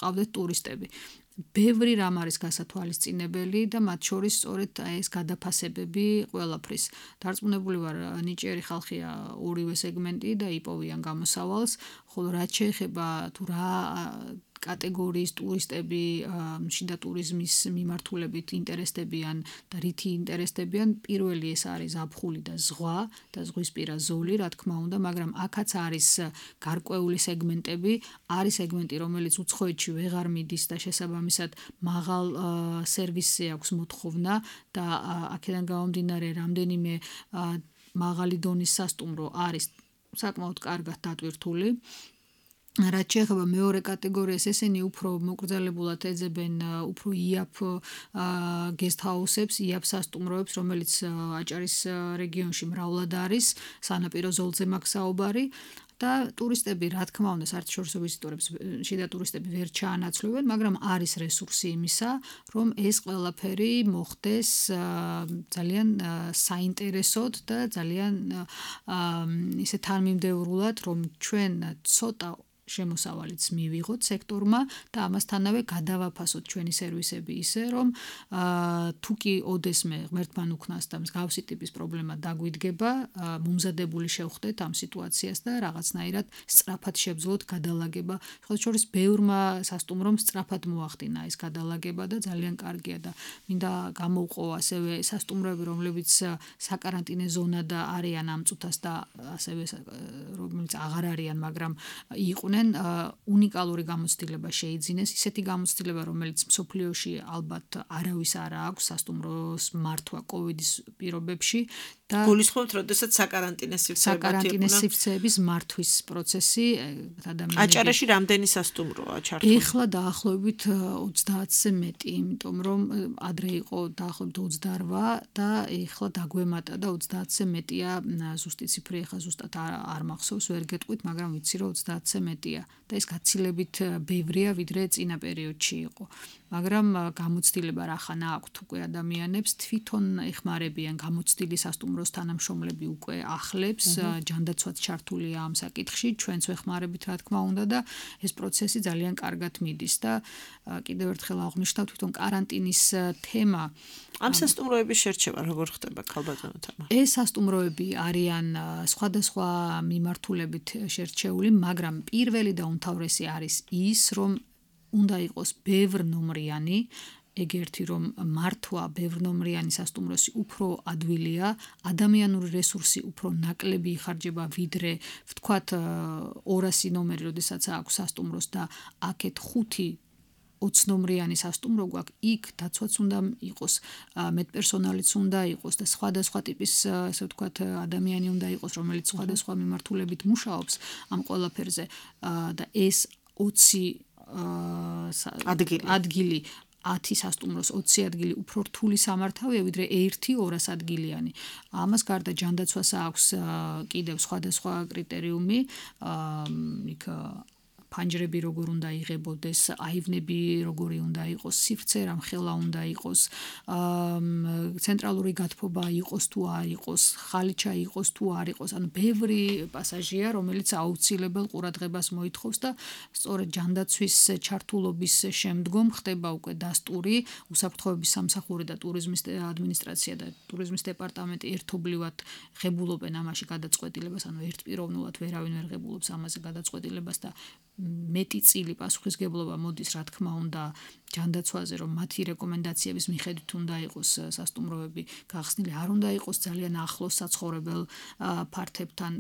ყავდეთ ტურისტები. ბევრი რამ არის გასათვალისწინებელი და მათ შორის სწორედ ეს გადაფასებები ყველაფრის. დარწმუნებული ვარ, ნიჭიერი ხალხია ორივე სეგმენტი და იპოვიან გამოსავალს, ხოლო რაც შეეხება თუ რა კატეგორიის ტურისტები შიდა ტურიზმის მიმართულებით ინტერესდებიან და რითი ინტერესდებიან, პირველი ეს არის ზაფხული და ზღვა და ზღვისპირა ზოლი, რა თქმა უნდა, მაგრამ აქაც არის გარკვეული სეგმენტები, არის სეგმენტი, რომელიც უცხოეთში ვეღარ მიდის და შესაბამისად მაღალ სერვისზე აქვს მოთხოვნა და აქედან გამომდინარე რამდენიმე მაღალი დონის სასტუმრო არის საკმაოდ კარგად დატვირთული. რაც შეეხება მეორე კატეგორიას, ესენი უფრო მოკრძალებულად ეძებენ უფრო იაფ გესტ-ჰაუსებს, იაფ სასტუმროებს, რომელიც აჭარის რეგიონში მრავლად არის, სანაპირო ზოლზე მაქვს საუბარი. და ტურისტები, რა თქმა უნდა, საერთაშორისო ვიზიტორებს შიდა ტურისტები ვერ ჩაანაცვლებენ, მაგრამ არის რესურსი იმისა, რომ ეს ყველაფერი მოხდეს ძალიან საინტერესოდ და ძალიან ისე თანმიმდევრულად, რომ ჩვენ ცოტა შემოსავალიც მივიღოთ სექტორმა და ამასთანავე გადავაფასოთ ჩვენი სერვისები ისე, რომ თუ კი ოდესმე ღმერთთან უქნას და მსგავსი ტიპის პრობლემა დაგვიდგება, მომზადებული შევხვდეთ ამ სიტუაციას და რაღაცნაირად სწრაფად შევძლოთ გადალაგება. ხოლო შორის ბევრმა სასტუმრომ სწრაფად მოახდინა ეს გადალაგება და ძალიან კარგია და მინდა გამოვყო ასევე სასტუმროები, რომლებიც საკარანტინე ზონა და არიან ამ წუთას და ასევე რომელიც აღარ არიან, მაგრამ იყვნენ უნიკალური გამოცდილება შეიძინეს, ისეთი გამოცდილება, რომელიც მსოფლიოში ალბათ არავის არ აქვს სასტუმროს მართვა კოვიდის პირობებში და გულისხმობთ, როდესაც საკარანტინე სივრცეები საკარანტინე სივრცეების მართვის პროცესი ადამიანები. აჭარაში რამდენი სასტუმროა ჩართული? ეხლა დაახლოებით ოცდაათზე მეტი, იმიტომ რომ ადრე იყო დაახლოებით ოცდარვა და ეხლა დაგვემატა და ოცდაათზე მეტია ზუსტი ციფრი, ეხლა ზუსტად არ მახსოვს, ვერ გეტყვით, მაგრამ ვიცი რომ ოცდაათზე მეტი პროექტია და ეს გაცილებით ბევრია ვიდრე წინა პერიოდში იყო. მაგრამ გამოცდილება რახანა აქვთ უკვე ადამიანებს თვითონ ეხმარებიან გამოცდილი სასტუმროს თანამშრომლები უკვე ახლებს ჯანდაცვაც ჩართულია ამ საკითხში ჩვენც ვეხმარებით რა თქმა უნდა და ეს პროცესი ძალიან კარგად მიდის და კიდევ ერთხელ აღვნიშნავ თვითონ каранტინის თემა ამ სასტუმროების შერჩევა როგორ ხდება ქალბატონო თამა? ეს სასტუმროები არიან სხვადასხვა მიმართულებით შერჩეული, მაგრამ პირველი და უმთავრესი არის ის, რომ უნდა იყოს ბევრნომრიანი, ეგერთი რომ მართვა ბევრნომრიანი სასტუმროსი უფრო ადვილია, ადამიანური რესურსი უფრო ნაკლები იხარჯება ვიდრე ვთქვათ ორასი ნომერი, როდესაც აქვს სასტუმროს და აქეთ ხუთი ოცნომრიანი სასტუმრო გვაქვს, იქ დაცვაც უნდა იყოს, მეტპერსონალიც უნდა იყოს და სხვადასხვა ტიპის, ასე ვთქვათ, ადამიანი უნდა იყოს, რომელიც სხვადასხვა მიმართულებით მუშაობს ამ ყველაფერზე და ეს ოცი ადგილი ადგილი ათი სასტუმროს ოცი ადგილი უფრო რთული სამართავია ვიდრე ერთი ორას ადგილიანი. ამას გარდა ჯანდაცვას აქვს კიდევ სხვადასხვა კრიტერიუმი, იქ ფანჯრები როგორ უნდა იღებოდეს, აივნები როგორი უნდა იყოს, სივრცე რამხელა უნდა იყოს, ცენტრალური გათბობა იყოს თუ არ იყოს, ხალიჩა იყოს თუ არ იყოს, ანუ ბევრი პასაჟია, რომელიც აუცილებელ ყურადღებას მოითხოვს და სწორედ ჯანდაცვის ჩართულობის შემდგომ ხდება უკვე დასტური, უსაფრთხოების სამსახური და ტურიზმის ადმინისტრაცია და ტურიზმის დეპარტამენტი ერთობლივად ღებულობენ ამაში გადაწყვეტილებას, ანუ ერთპიროვნულად ვერავინ ვერ ღებულობს ამაზე გადაწყვეტილებას და მეტი წილი პასუხისგებლობა მოდის რა თქმა უნდა ჯანდაცვაზე რომ მათი რეკომენდაციების მიხედვით უნდა იყოს სასტუმროები გახსნილი არ უნდა იყოს ძალიან ახლოს საცხოვრებელ ფართებთან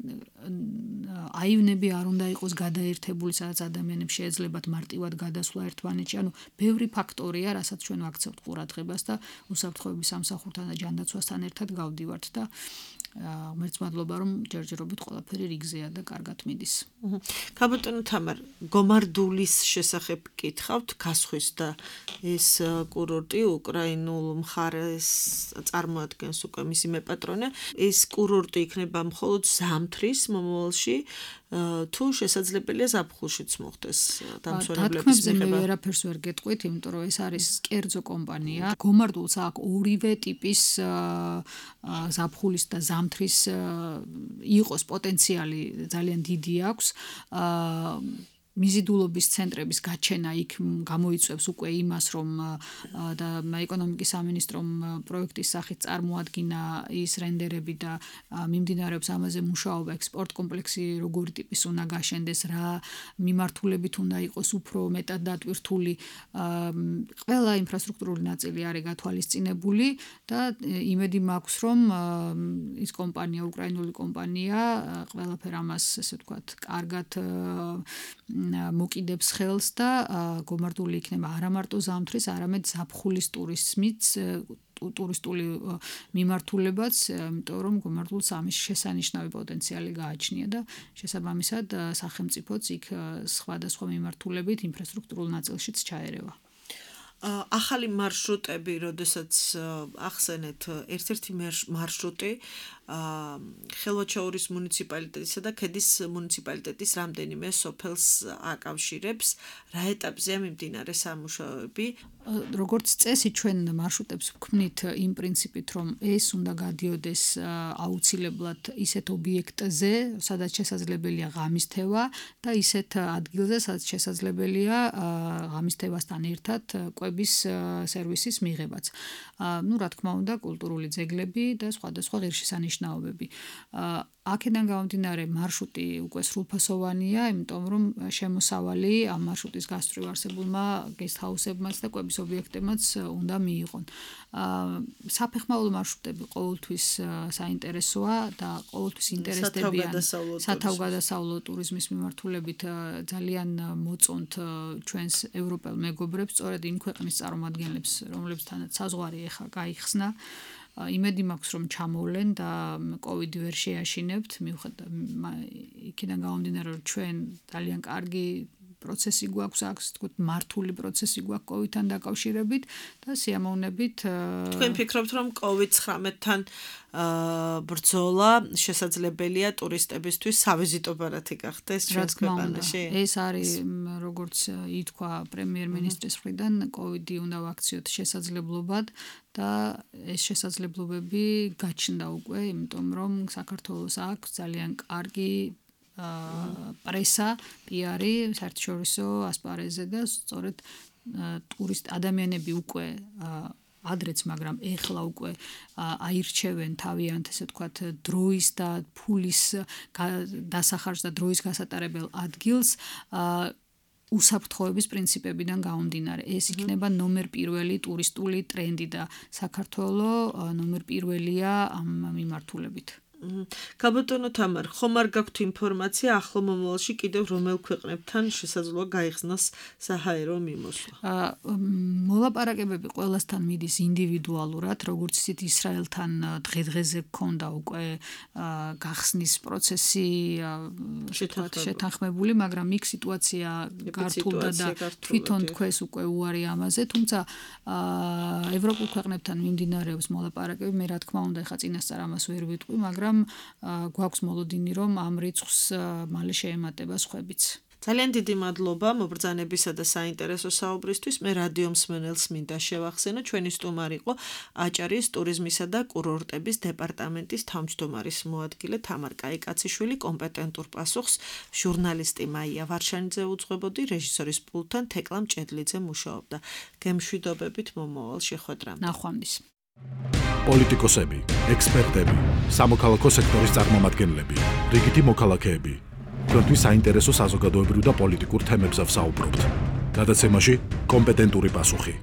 აივნები არ უნდა იყოს გადაერთებული სადაც ადამიანებს შეეძლებათ მარტივად გადასვლა ერთმანეთში ანუ ბევრი ფაქტორია რასაც ჩვენ ვაქცევთ ყურადღებას და უსაფრთხოების სამსახურთან და ჯანდაცვასთან ერთად გავდივართ და ღმერთს მადლობა რომ ჯერჯერობით ყველაფერი რიგზეა და კარგად მიდის. ქალბატონო თამარ გომარდულის შესახებ გითხავთ გასხვის და ეს კურორტი უკრაინულ მხარეს წარმოადგენს უკვე მისი მეპატრონე ეს კურორტი იქნება მხოლოდ ზამთრის მომავალში თუ შესაძლებელია ზაფხულშიც მოხდეს დამსვენებლების მიღება. მე ვერაფერს ვერ გეტყვით, იმიტომ რომ ეს არის კერძო კომპანია. გომარდულს აქვს ორივე ტიპის ზაფხულის და ზამთრის იყოს პოტენციალი ძალიან დიდი აქვს. მიზიდულობის ცენტრების გაჩენა იქ გამოიწვევს უკვე იმას, რომ და ეკონომიკის სამინისტრომ პროექტის სახით წარმოადგინა ის რენდერები და მიმდინარეობს ამაზე მუშაობა ექსპორტ კომპლექსი როგორი ტიპის უნდა გაშენდეს, რა მიმართულებით უნდა იყოს უფრო მეტად დატვირთული. ყველა ინფრასტრუქტურული ნაწილი არის გათვალისწინებული და იმედი მაქვს, რომ ის კომპანია, უკრაინული კომპანია, ყველაფერ ამას, ესე ვთქვათ, კარგად მოკიდებს ხელს და გომარდული იქნება არა მარტო ზამთრის, არამედ ზაფხულის ტურიზმიც ტურისტული მიმართულებაც, იმიტომ რომ გომარდულს ამის შესანიშნავი პოტენციალი გააჩნია და შესაბამისად სახელმწიფოც იქ სხვადასხვა მიმართულებით ინფრასტრუქტურულ ნაწილშიც ჩაერევა. ახალი მარშრუტები, როდესაც ახსენეთ ერთ-ერთი მარშრუტი ხელვაჩაურის მუნიციპალიტეტისა და ქედის მუნიციპალიტეტის რამდენიმე სოფელს აკავშირებს, რა ეტაპზეა მიმდინარე სამუშაოები? როგორც წესი ჩვენ მარშრუტებს ვქმნით იმ პრინციპით, რომ ეს უნდა გადიოდეს აუცილებლად ისეთ ობიექტზე, სადაც შესაძლებელია ღამისთევა და ისეთ ადგილზე, სადაც შესაძლებელია ღამისთევასთან ერთად კვების სერვისის მიღებაც. ну, რა თქმა უნდა, კულტურული ძეგლები და სხვადასხვა ღირსშესანიშნაობები. აქედან გამომდინარე მარშრუტი უკვე სრულფასოვანია, იმიტომ რომ შემოსავალი ამ მარშრუტის გასწვრივ არსებულმა გესტჰაუსებმაც და კვების ობიექტებმაც უნდა მიიღონ. საფეხმავლო მარშრუტები ყოველთვის საინტერესოა და ყოველთვის ინტერესდებიან სათავგადასავლო ტურიზმის მიმართულებით ძალიან მოწონთ ჩვენს ევროპელ მეგობრებს, სწორედ იმ ქვეყნის წარმომადგენლებს, რომლებთანაც საზღვარი ეხა გაიხსნა. იმედი მაქვს რომ ჩამოვლენ და კოვიდი ვერ შეაშინებთ, მიუხედავად იქიდან გამომდინარე რომ ჩვენ ძალიან კარგი პროცესი გვაქვს, აქვს თქო მართული პროცესი გვაქვს კოვიდთან დაკავშირებით და სიამოვნებით თქვენ ფიქრობთ რომ კოვიდ ცხრამეტთან ბრძოლა შესაძლებელია ტურისტებისთვის სავიზიტო ბარათი გახდეს ჩვენს ქვეყანაში? ეს არის როგორც ითქვა პრემიერ-მინისტრის მხრიდან კოვიდი უნდა ვაქციოთ შესაძლებლობად და ეს შესაძლებლობები გაჩნდა უკვე, იმიტომ რომ საქართველოს აქვს ძალიან კარგი პრესა, პიარი, საერთაშორისო ასპარეზზე და სწორედ ტურისტ ადამიანები უკვე ადრეც, მაგრამ ეხლა უკვე აირჩევენ თავიანთ, ესე ვთქვათ, დროის და ფულის დასახარჯს და დროის გასატარებელ ადგილს უსაფრთხოების პრინციპებიდან გამომდინარე. ეს იქნება ნომერ პირველი ტურისტული ტრენდი და საქართველოს ნომერ პირველია ამ მიმართულებით. გაბატონო თამარ, ხომ არ გაქვთ ინფორმაცია ახლო მომავალში კიდევ რომელ ქვეყნებთან შესაძლოა გაიხსნას საჰაერო მიმოსვლა? მოლაპარაკებები ყველასთან მიდის ინდივიდუალურად, როგორც ისეთ ისრაელთან დღე-დღეზე გქონდა უკვე გახსნის პროცესი შეთანხმებული, მაგრამ იქ სიტუაცია გართულდა და თვითონ თქვენს უკვე უარი ამაზე, თუმცა ევროპულ ქვეყნებთან მიმდინარეობს მოლაპარაკებები, მე რა თქმა უნდა, ეხა წინასწარ ამას ვერ ვიტყვი, მაგრამ გვაქვს მოლოდინი რომ ამ რიცხვს მალე შეემატება სხვებიც. ძალიან დიდი მადლობა მობრძანებისა და საინტერესო საუბრისთვის. მე რადიო მსმენელს მინდა შევახსენო, ჩვენი სტუმარი იყო აჭარის ტურიზმისა და კურორტების დეპარტამენტის თავმჯდომარის მოადგილე თამარ კაიკაციშვილი. კომპეტენტურ პასუხს ჟურნალისტი მაია ვარშანიძე უძღვებოდი, რეჟისორის პულტთან თეკლა მჭედლიძე მუშაობდა. გემშვიდობებით მომავალ შეხვედრამდე. ნახვამდის. პოლიტიკოსები, ექსპერტები, სამოქალაქო სექტორის წარმომადგენლები, რიგითი მოქალაქეები. თქვენთვის საინტერესო საზოგადოებრივ და პოლიტიკურ თემებზე ვსაუბრობთ. გადაცემაში კომპეტენტური პასუხი.